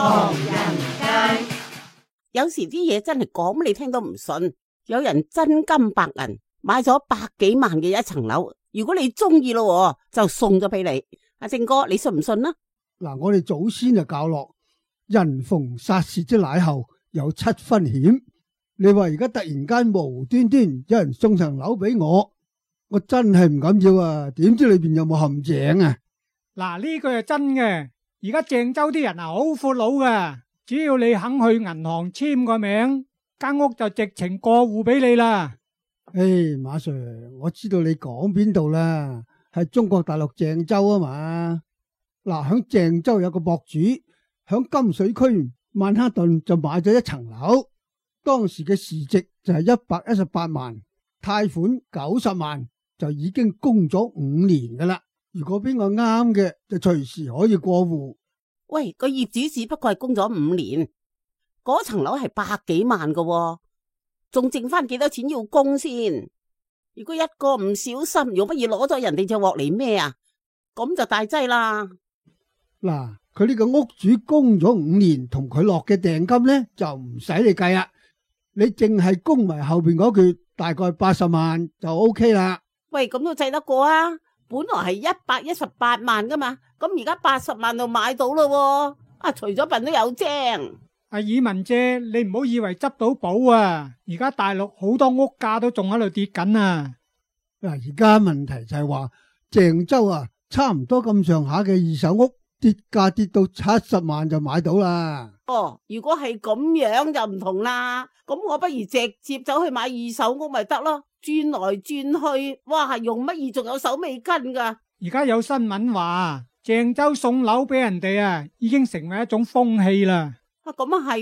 唐人街。有時啲嘢真係講你聽都唔信，有人真金白銀買咗百幾萬嘅一層樓，如果你中意咯，就送咗俾你。阿正哥，你信唔信啊？嗱，我哋祖先就教落，人逢殺竊之乃後有七分險。你話而家突然間無端端有人送層樓俾我真係唔敢要啊！點知裏邊有冇陷阱啊？嗱，呢句係真嘅。而家鄭州啲人好闊佬噶，只要你肯去銀行簽個名，間屋就直情過戶俾你啦。馬 Sir， 我知道你講邊度啦，係中國大陸鄭州啊嘛。嗱，響鄭州有個博主響金水區曼哈頓就買咗一層樓，當時嘅市值就係118萬，貸款90萬，就已經供咗5年噶啦。如果邊個啱嘅，就隨時可以過戶。喂，個業主只不過係供咗5年，嗰層樓係百幾萬噶，仲剩翻幾多錢要供先？如果一個唔小心，用乜嘢攞咗人哋就獲嚟咩啊？咁就大劑啦。嗱，佢呢個屋主供咗5年，同佢落嘅訂金呢，就唔使你計啦，你淨係供埋後邊嗰橛，大概80萬就 OK 啦。喂，咁都制得過啊？本來係118萬噶嘛，咁而家80萬就買到咯。除咗笨都有精。阿爾文姐，你唔好以為執到寶啊！而家大陸好多屋價都仲喺度跌緊啊！嗱，而家問題就係話鄭州啊，差唔多咁上下嘅二手屋跌價跌到70萬就買到啦。如果係咁樣就唔同啦，咁我不如直接走去買二手屋咪得咯，轉來轉去，哇，用乜嘢仲有手尾跟噶？而家有新聞話鄭州送樓俾人哋啊，已經成為一種風氣啦。咁啊係，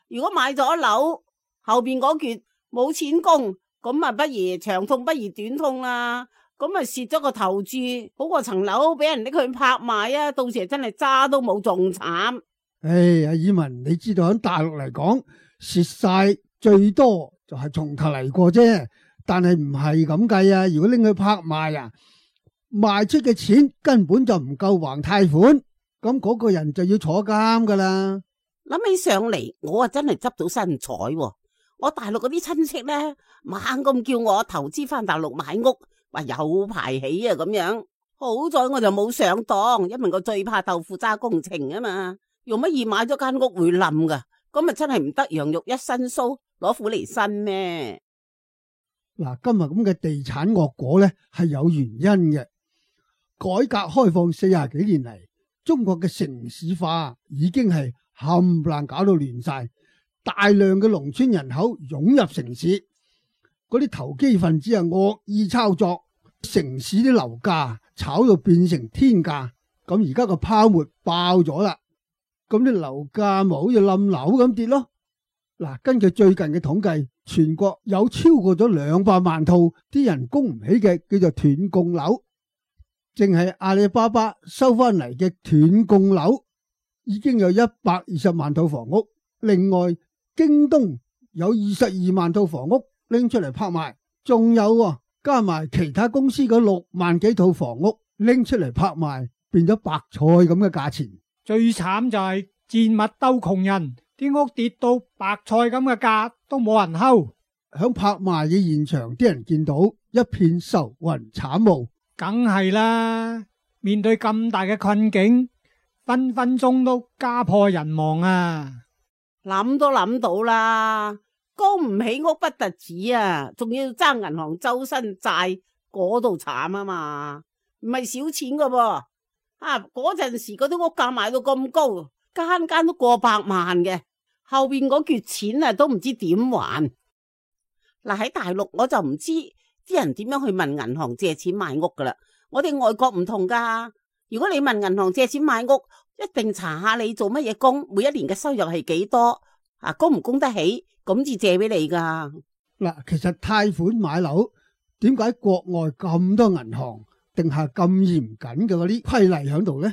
如果買咗樓後邊嗰橛冇錢供，咁啊不如長痛不如短痛啦，咁啊蝕咗個頭注，好過層樓俾人拎去拍賣啊，到時真係渣都冇，仲慘。阿爾文，你知道喺大陸嚟講，蝕晒最多就係從頭嚟過啫，但係唔係咁計啊！如果拎去拍賣啊，賣出嘅錢根本就唔夠還貸款，咁嗰個人就要坐監噶啦。諗起上嚟，我啊真係執到新彩喎！我大陸嗰啲親戚咧，猛咁叫我投資翻大陸買屋，話有排起啊咁樣。好在我就冇上當，因為我最怕豆腐渣工程啊嘛。用乜嘢買咗間屋會冧噶？咁咪真係唔得羊肉一身鬚，攞苦嚟辛咩？嗱，今日咁嘅地產惡果咧，係有原因嘅。改革開放40幾年嚟，中國嘅城市化已經係冚唪唥搞到亂晒，大量嘅農村人口湧入城市，嗰啲投機分子啊惡意操作，城市啲樓價炒到變成天價，咁而家個泡沫爆咗啦，咁啲樓價咪好似冧樓咁跌咯。嗱，根據最近嘅統計，全國有超過咗200萬套啲人供唔起嘅叫做斷供樓，淨係阿里巴巴收翻嚟嘅斷供樓已經有120萬套房屋，另外京東有22萬套房屋拎出嚟拍賣，仲有加埋其他公司嗰6萬幾套房屋拎出嚟拍賣，變咗白菜咁嘅價錢。最慘就係賤物鬥窮人，啲屋跌到白菜咁嘅價都冇人睺。響拍賣嘅現場，啲人見到一片愁雲慘霧，梗係啦，面對咁大嘅困境，分分鐘都家破人亡啊！諗都諗到啦，供唔起屋不特止啊，仲要爭銀行周身債，嗰度慘啊嘛，唔係少錢噶噃。嗰陣時嗰啲屋價賣到咁高，間間都過百萬嘅，後邊嗰橛錢啊都唔知點還。嗱，喺大陸我就唔知啲人點樣去問銀行借錢買屋噶啦，我哋外國唔同噶。如果你問銀行借錢買屋，一定查下你做乜嘢工，每一年嘅收入係幾多，供唔供得起，咁至借俾你噶。嗱，其實貸款買樓，點解國外咁多銀行定下咁嚴謹嘅嗰啲規例喺度呢？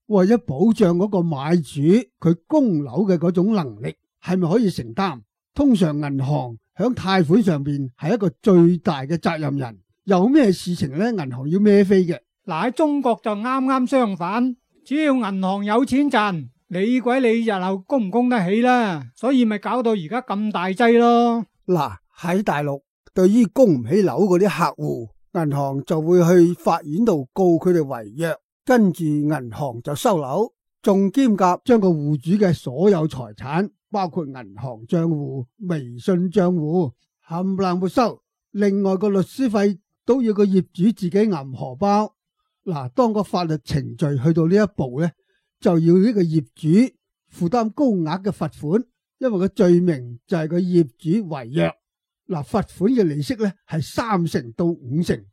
為咗保障嗰個買主佢供樓嘅嗰種能力係咪可以承擔？通常銀行響貸款上邊係一個最大嘅責任人，有咩事情呢，銀行要孭飛嘅。嗱，喺中國就啱啱相反，只要銀行有錢賺，你鬼你日後供唔供得起啦？所以咪搞到而家咁大劑咯。嗱，喺大陸，對於供唔起樓嗰啲客戶，銀行就會去法院度告佢哋違約，跟住銀行就收樓，仲兼夾將個戶主嘅所有財產，包括銀行賬戶、微信賬戶冚唪唥沒收。另外個律師費都要個業主自己揞荷包。嗱，當個法律程序去到呢一步呢，就要呢個業主負擔高額嘅罰款，因為個罪名就係個業主違約。嗱，罰款嘅利息呢係3%到5%，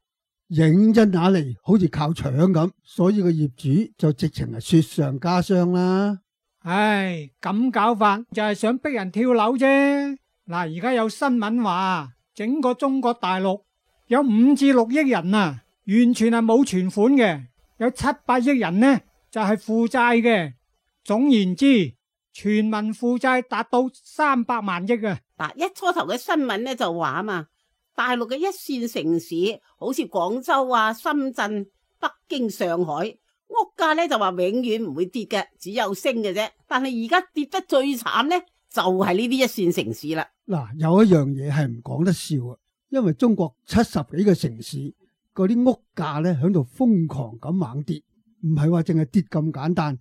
認真打嚟好似靠搶咁，所以個業主就直情係雪上加霜啦。唉，咁搞法就係想逼人跳樓啫。嗱，而家有新聞話，整個中國大陸有5至6億人啊，完全係冇存款嘅，有700億人呢就係負債嘅。總言之，全民負債達到300萬億啊！嗱，一初頭嘅新聞呢就話啊嘛，大陸嘅一線城市，好似廣州啊、深圳、北京、上海，屋價呢就話永遠唔會跌嘅，只有升嘅啫。但係而家跌得最慘呢，就係呢啲一線城市啦。嗱，有一樣嘢係唔講得笑啊，因為中國70幾個城市嗰啲屋價呢喺度瘋狂咁猛跌，唔係話淨係跌咁簡單，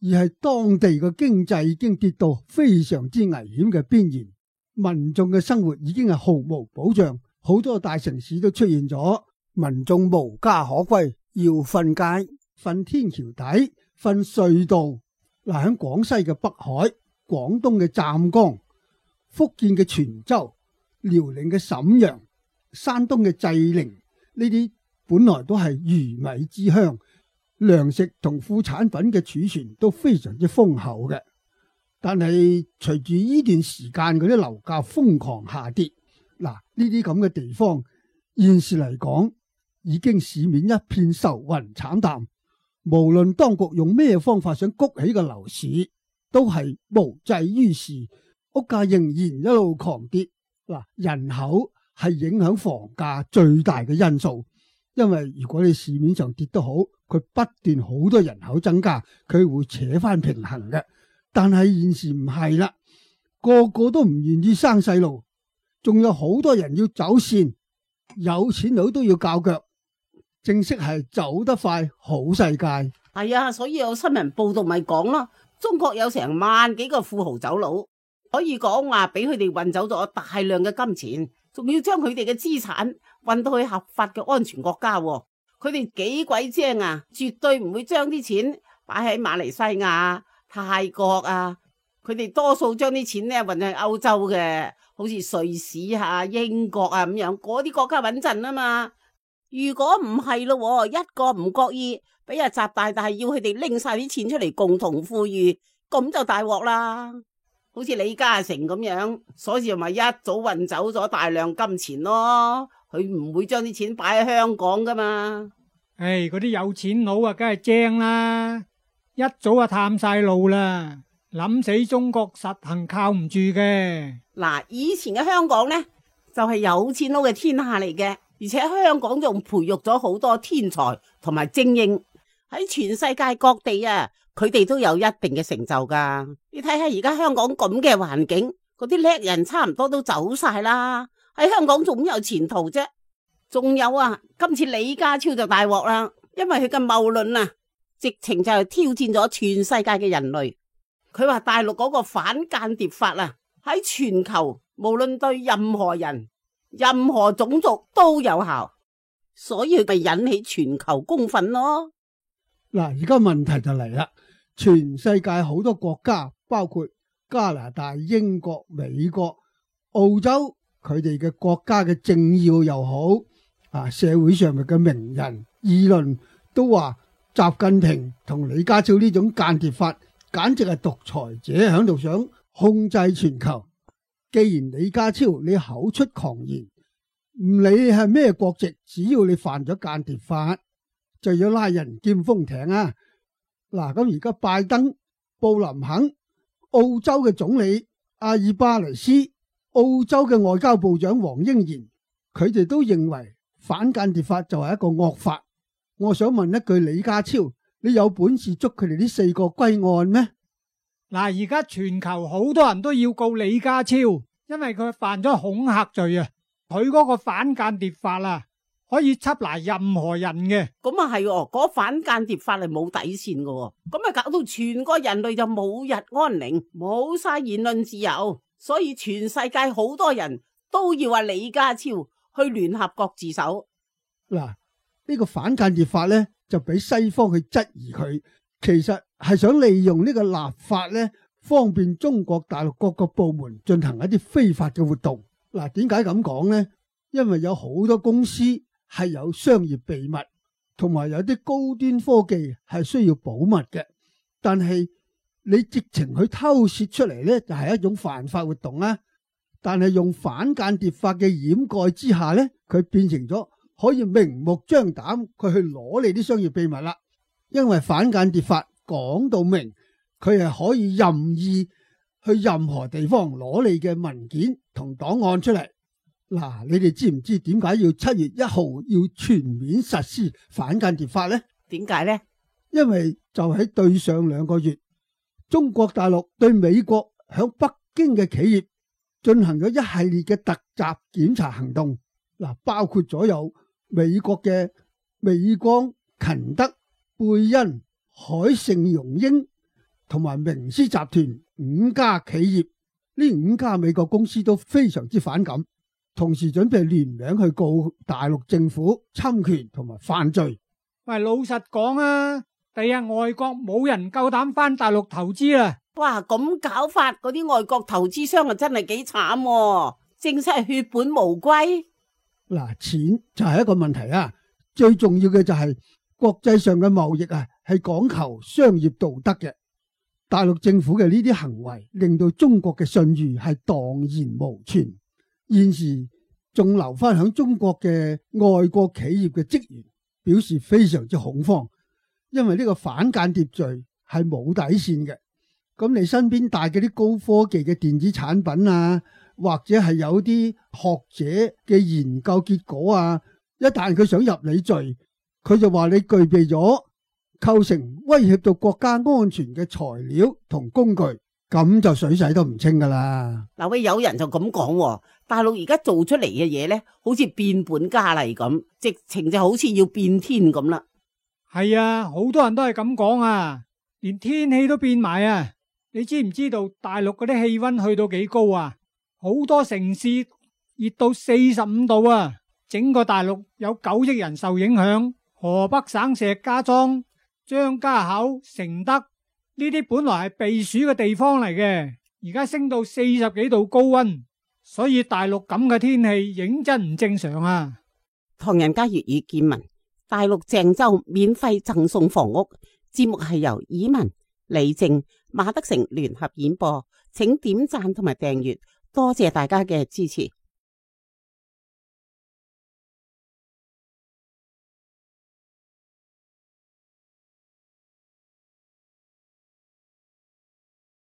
而係當地嘅經濟已經跌到非常之危險嘅邊緣，民眾嘅生活已經係毫無保障，好多大城市都出現咗民眾無家可歸，要瞓街、瞓天橋底、瞓隧道。嗱，喺廣西嘅北海、廣東嘅湛江、福建嘅泉州、遼寧嘅瀋陽、山東嘅濟寧，呢啲本來都係魚米之鄉，糧食同副產品嘅儲存都非常之豐厚嘅。但係隨住呢段時間嗰啲樓價瘋狂下跌，嗱，呢啲咁嘅地方現時嚟講已經市面一片愁雲慘淡，無論當局用咩方法想谷起個樓市，都係無濟於事，屋價仍然一路狂跌。嗱，人口係影響房價最大嘅因素，因為如果你市面上跌得好，佢不斷好多人口增加，佢會扯翻平衡嘅。但係現時唔係啦，個個都唔願意生細路，仲有好多人要走線，有錢佬都要較腳，正式係走得快好世界。係啊，所以有新聞報道咪講咯，中國有成萬幾個富豪走佬，可以講話俾佢哋運走咗大量嘅金錢，仲要將佢哋嘅資產運到去合法嘅安全國家。佢哋幾鬼精啊，絕對唔會將啲錢擺喺馬來西亞、泰國啊，佢哋多數將啲錢呢運去歐洲嘅，好似瑞士啊、英國啊咁樣，嗰啲國家穩陣啊嘛。如果唔係咯，一個唔覺意俾阿習大大要佢哋拎晒啲錢出嚟共同富裕，咁就大鑊啦。好似李嘉誠咁樣，所以咪一早運走咗大量金錢咯。佢唔會將啲錢擺喺香港噶嘛。唉，嗰啲有錢佬啊，梗係精啦，一早就探晒路啦，諗死中國實行靠唔住嘅。嗱，以前嘅香港呢，就係有錢佬嘅天下嚟嘅，而且香港仲培育咗好多天才同埋精英，喺全世界各地啊，佢哋都有一定嘅成就噶。你睇下而家香港咁嘅環境，嗰啲叻人差唔多都走晒啦，喺香港仲有前途啫。仲有啊，今次李家超就大鑊啦，因為佢嘅謬論啊，直情就係挑戰咗全世界嘅人類。佢話大陸嗰個反間諜法啊，喺全球無論對任何人、任何種族都有效，所以咪引起全球公憤咯。嗱，而家問題就嚟啦，全世界好多國家，包括加拿大、英國、美國、澳洲，佢哋嘅國家嘅政要又好啊，社會上面嘅名人議論都話習近平同李家超呢種間諜法簡直係獨裁者喺度想控制全球。既然李家超你口出狂言，唔理係咩國籍，只要你犯咗間諜法就要拉人劍封艇啊。嗱，咁而家拜登、布林肯、澳洲嘅總理阿爾巴尼斯、澳洲嘅外交部長黃英賢，佢哋都認為反間諜法就係一個惡法。我想問一句，李家超，你有本事捉佢哋呢4個歸案咩？嗱，而家全球好多人都要告李家超，因為佢犯咗恐嚇罪啊！佢嗰個反間諜法啊，可以緝拿任何人嘅。咁啊係，嗰反間諜法係冇底線嘅，咁啊搞到全個人類就冇日安寧，冇晒言論自由，所以全世界好多人都要話李家超去聯合國自首。嗱，呢個反間諜法咧就俾西方去質疑佢，其實係想利用呢個立法咧，方便中國大陸各個部門進行一啲非法嘅活動。嗱，點解咁講呢？因為有好多公司係有商業秘密，同埋有啲高端科技係需要保密嘅。但係你直情去偷竊出嚟呢，就係一種犯法活動啦。但係用反間諜法嘅掩蓋之下呢，佢變成咗可以明目張膽佢去攞你啲商業秘密啦。因為反間諜法講到明，佢係可以任意去任何地方攞你嘅文件同檔案出嚟。嗱，你哋知唔知點解要7月1號要全面實施反間諜法呢？點解呢？因為就喺對上2個月，中國大陸對美國響北京嘅企業進行咗一系列嘅突襲檢查行動。嗱，包括咗有美國嘅美光、勤德、貝恩、海盛榮英同埋明斯集團5家企業，呢5家美國公司都非常之反感，同時準備聯名去告大陸政府侵權同埋犯罪。喂，老實講啊，第日外國冇人夠膽返大陸投資啦。哇，咁搞法，嗰啲外國投資商啊真係幾慘，正式係血本無歸。嗱，錢就係一個問題啊，最重要嘅就係國際上嘅貿易啊，係講求商業道德嘅。大陸政府嘅呢啲行為令到中國嘅信譽係蕩然無存。現時仲留翻響中國嘅外國企業嘅職員表示非常之恐慌，因為呢個反間諜罪係冇底線嘅。咁你身邊帶嗰啲高科技嘅電子產品啊，或者係有啲學者嘅研究結果啊，一旦佢想入你罪，佢就話你具備咗構成威脅到國家安全嘅材料同工具，咁就水洗都唔清噶啦。嗱，喂，有人就咁講，大陸而家做出嚟嘅嘢呢，好似變本加厲咁，直情就好似要變天咁啦。係啊，好多人都係咁講啊，連天氣都變埋啊。你知唔知道大陸嗰啲氣溫去到幾高啊？好多城市熱到45度啊！整個大陸有9億人受影響。河北省石家莊、張家口、承德呢啲本來係避暑嘅地方嚟嘅，而家升到40幾度高溫，所以大陸咁嘅天氣認真唔正常啊！唐人街粵語見聞，大陸鄭州免費贈送房屋。節目係由以文、李靜、馬德成聯合演播，請點讚同埋訂閱，多謝大家嘅支持。